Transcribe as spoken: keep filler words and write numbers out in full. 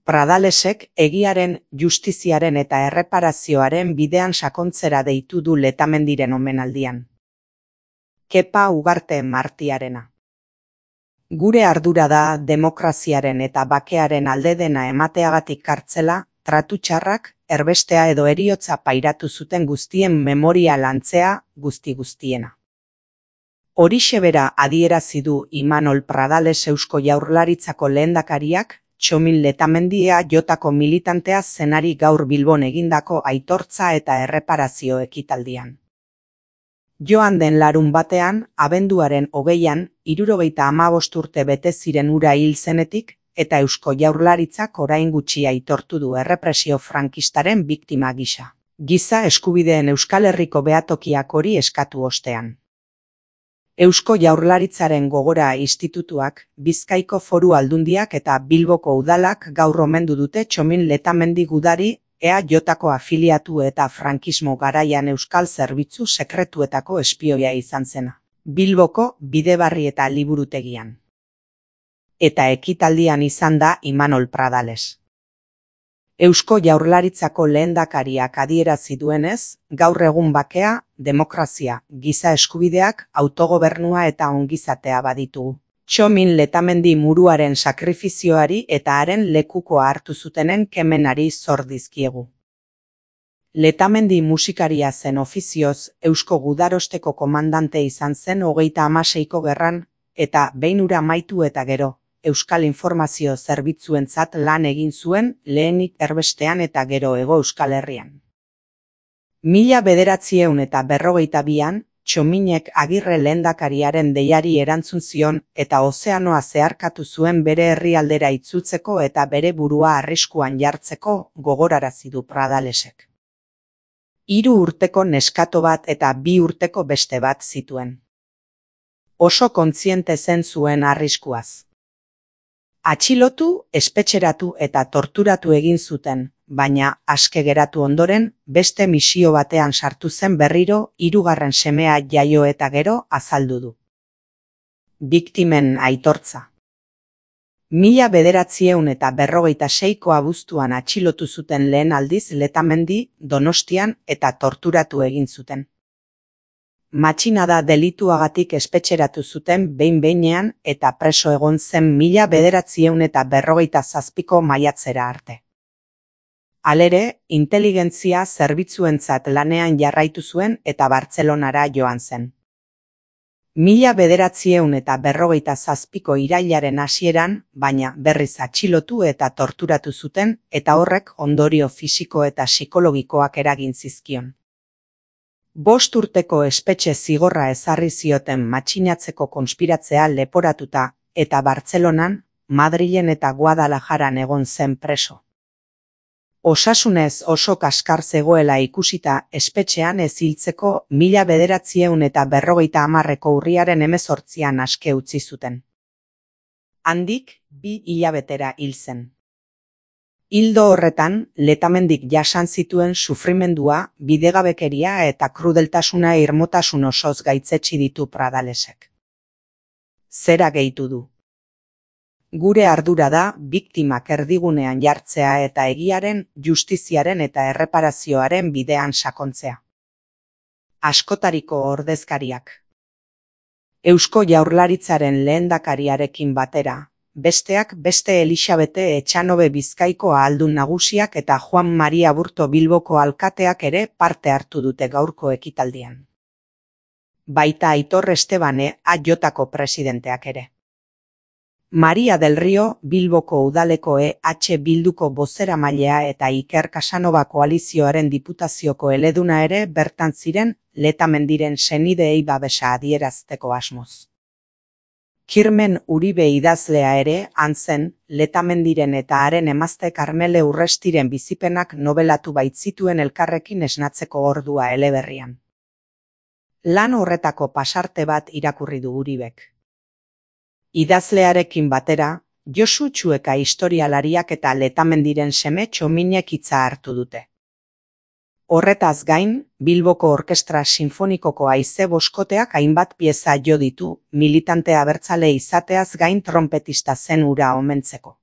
Pradalesek egiaren, justiziaren eta erreparazioaren bidean sakontzera deitu du Letamendiren omenaldian. Kepa Ugarte Martiarena. Gure ardura da demokraziaren eta bakearen alde dena emateagatik kartzela, tratu txarrak, erbestea edo heriotza pairatu zuten guztien memoria lantzea guzti guztiena. Horixe bera adierazi du Imanol Pradales Eusko Jaurlaritzako lehendakariak, Txomin Letamendia jotako militantea zenari gaur Bilbon egindako aitortza eta erreparazio ekitaldian. Joan den larun batean, abenduaren hogeian, hirurogeita hamabost urte bete ziren hura hil zenetik, eta Eusko Jaurlaritzak orain gutxi aitortu du errepresio frankistaren biktima gisa. Giza eskubideen Euskal Herriko behatokiak hori eskatu ostean. Eusko Jaurlaritzaren Gogora Institutuak, Bizkaiko Foru Aldundiak eta Bilboko Udalak gaur omendu dute Txomin Letamendi gudari, E A Jko afiliatu eta frankismo garaian Euskal Zerbitzu Sekretuetako espioia izan zena. Bilboko Bidebarri eta Liburutegian. Eta ekitaldian izan da Imanol Pradales. Eusko Jaurlaritzako lehendakariak adierazi duenez, gaur egun bakea, demokrazia, giza eskubideak, autogobernua eta ongizatea baditugu. Txomin Letamendi muruaren sakrifizioari eta haren lekukoa hartu zutenen kemenari zor dizkiegu. Letamendi musikaria zen ofizioz, Eusko Gudarosteko komandante izan zen hogeita hamaseiko gerran, eta behin hura amaitu eta gero, Euskal Informazio Zerbitzuentzat lan egin zuen lehenik erbestean eta gero Hego Euskal Herrian. Mila bederatzieun eta berrogeita bian, Txominek Agirre lehendakariaren deiari erantzun zion eta ozeanoa zeharkatu zuen bere herrialdera itzultzeko eta bere burua arriskuan jartzeko gogorarazi du Pradalesek. Hiru urteko neskato bat eta bi urteko beste bat zituen. Oso kontziente zen zuen arriskuaz. Atxilotu, espetxeratu eta torturatu egin zuten, baina aske geratu ondoren, beste misio batean sartu zen berriro, hirugarren semea jaio eta gero azaldu du. Biktimen aitortza. Mila bederatzieun eta berrogeita seiko abuztuan atxilotu zuten lehen aldiz Letamendi, Donostian eta torturatu egin zuten. Matxinada delituagatik espetxeratu zuten behin-behinean eta preso egon zen mila bederatzieun eta berrogeita zazpiko maiatzera arte. Halere, inteligentzia zerbitzuentzat lanean jarraitu zuen eta Bartzelonara joan zen. Mila bederatzieun eta berrogeita zazpiko irailaren hasieran, baina berriz atxilotu eta torturatu zuten eta horrek ondorio fisiko eta psikologikoak eragin zizkion. Bost urteko espetxe zigorra ezarri zioten matxinatzeko konspiratzea leporatuta eta Bartzelonan, Madrilen eta Guadalajaran egon zen preso. Osasunez oso kaskar zegoela ikusita espetxean ez hiltzeko mila bederatzieun eta berrogeita hamarreko urriaren hemezortzian aske utzi zuten. Handik, bi hilabetera hil zen. Hildo horretan, Letamendik jasan zituen sufrimendua, bidegabekeria eta krudeltasuna irmotasun osoz gaitzetsi ditu Pradalesek. Zera gehitu du. Gure ardura da biktimak erdigunean jartzea eta egiaren, justiziaren eta erreparazioaren bidean sakontzea. Askotariko ordezkariak. Eusko Jaurlaritzaren lehendakariarekin batera, besteak beste Elixabete Etxanobe Bizkaiko ahaldun nagusiak eta Juan Maria Burto Bilboko alkateak ere parte hartu dute gaurko ekitaldian. Baita Aitor Estebane A Jko presidenteak ere. Maria del Rio, Bilboko udaleko E H Bilduko bozeramailea eta Iker Casanova koalizioaren diputazioko eleduna ere bertan ziren Letamendiren senideei babesa adierazteko asmoz. Kirmen Uribe idazlea ere han zen, Letamendiren eta haren emazte Karmele Urrestiren bizipenak nobelatu baitzituen elkarrekin esnatzeko ordua eleberrian. Lan horretako pasarte bat irakurri du Uribek. Idazlearekin batera, Josu Txueka historialariak eta Letamendiren seme Txominek hitza hartu dute. Horretaz gain, Bilboko Orkestra Sinfonikoko haize boskoteak hainbat pieza jo ditu, militante abertzale izateaz gain tronpetista zen hura omentzeko.